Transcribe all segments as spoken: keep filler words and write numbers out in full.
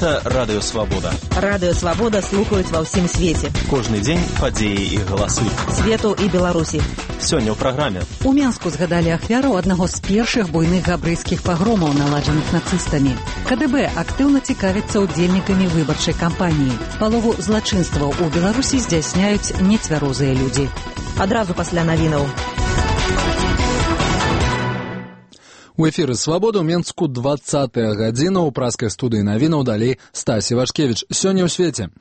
Гэта Радыё Свабода. Радыё Свабода слухаюць ва ўсім свеце. Кожны дзень падзеі і галасы. Свету і Беларусі. Сёння ў праграме. У Менску згадалі ахвяру аднаго з першых буйных габрэйскіх пагромаў, наладжаных нацыстамі. КДБ актыўна цікавіцца удзельнікамі выбарчай кампаніі. Палову злачынстваў у Беларусі здзяйсняюць нецвярозыя людзі. Адразу пасля навінаў. У эфіры «Свабода» ў Менску двадцатая гадзіна. У праскай студыі навінаў далей Стасі Вашкевіч. Сёння ў свеце.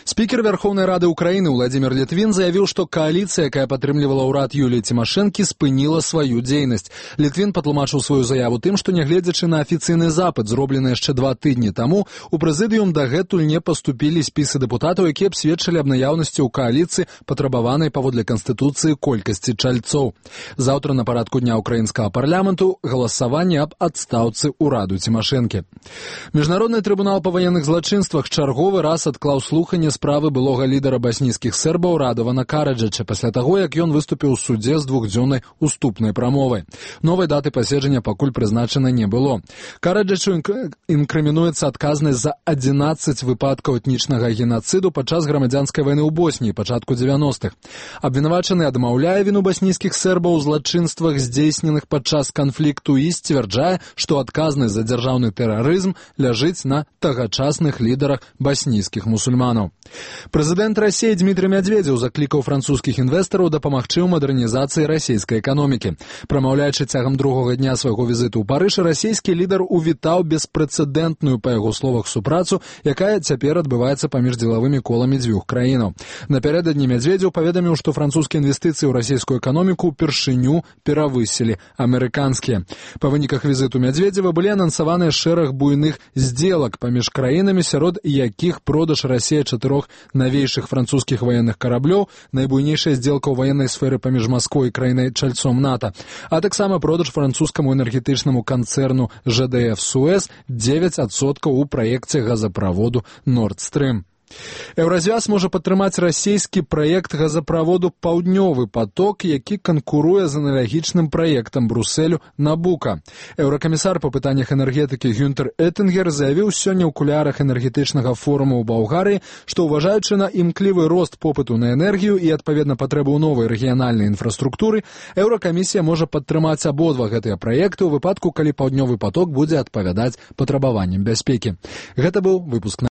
Спікер Верховнай Рады Украіны Владимир Літвін заявіў, што кааліцыя, якая падтрымлівала ўрад Юліі Цімашэнкі, спыніла сваю дзейнасць. Літвін патлумачыў сваю заяву тым, што нягледзячы на афіцыйны запыт, зроблены яшчэ два тыдні таму, у прэзідыум дагэтуль не паступілі спісы дэпутатаў, якія б сведчылі аб наяўнасці ў кааліцыі патрабаванай паводле Канстытуцыі колькасці чальцоў. Заўтра на парадку дня украінскага парламенту галасаванне об адстаўцы ўраду Цімашэнкі. Міжнародны трыбунал па ваенных злачынствах чарговы раз адклаў слуханне справы былога лідара баснійскіх сербаў Радована Караджача пасля таго, як ён выступіў у судзе з двухдзённай уступнай прамовай. Новай даты паседжання пакуль прызначана не было. Караджачу інкрымінуецца адказнасць за адзінаццаць выпадкаў этнічнага генацыду падчас грамадзянскай вайны ў Босніі пачатку дзевяностых. Абвінавачаны адмаўляе віну баснійскіх сербаў у злачынствах, здзейсненых падчас канфлікту, і сцвярджае, што адказнасць за дзяржаўны тэрарызм ляжыць на тагачасных лідарах баснійскіх мусульманаў. Прэзідэнт Расіі Дмітрый Мядзведзеў заклікаў французскіх інвестараў дапамагчы ў мадэрнізацыі расійскай эканомікі. Прамаўляючы цягам другога дня свайго візіту ў Парыж, расійскі лідар увітаў беспрэцэдэнтную, па яго словах, супрацу, якая цяпер адбываецца паміж дзелавымі коламі дзвюх краінаў. Напярэдадні Мядзведзеў паведаміў, што французскія інвестыцыі ў расійскую эканоміку ўпершыню перавысілі амерыканскія. Па выніках візіту Мядзведзева былі анансаваныя шэраг буйных здзелак паміж краінамі, сярод якіх продаж Расіі чатырох навейшых французскіх ваенных караблёў, найбуйнейшая здзелка ў военнай сферы паміж Масквой і краінай-чальцом НАТО, а таксама продаж французскаму энергетычнаму канцэрну жэ дэ эф Суэз дзевяць адсоткаў у праекце газаправоду Nord Stream. Еўразвяз можа падтрымаць расійскі праект газаправоду «Паўднёвы паток», які канкуруе з аналагічным праектам Брусэлю «Набука». Еўракамісар па пытаннях энергетыкі Гюнтер Эттингер заявіў сёння ў кулярах энергетычнага форуму ў Балгарыі, што, уважаючы на імклівы рост попыту на энергію і, адпаведна, патрэбу ў новай рэгіянальнай інфраструктуры, Еўракамісія можа падтрымаць абодва гэтыя праекты ў выпадку, калі «Паўднёвы паток» будзе адпавядаць патрабаванням бяспекі. Гэта быў выпуск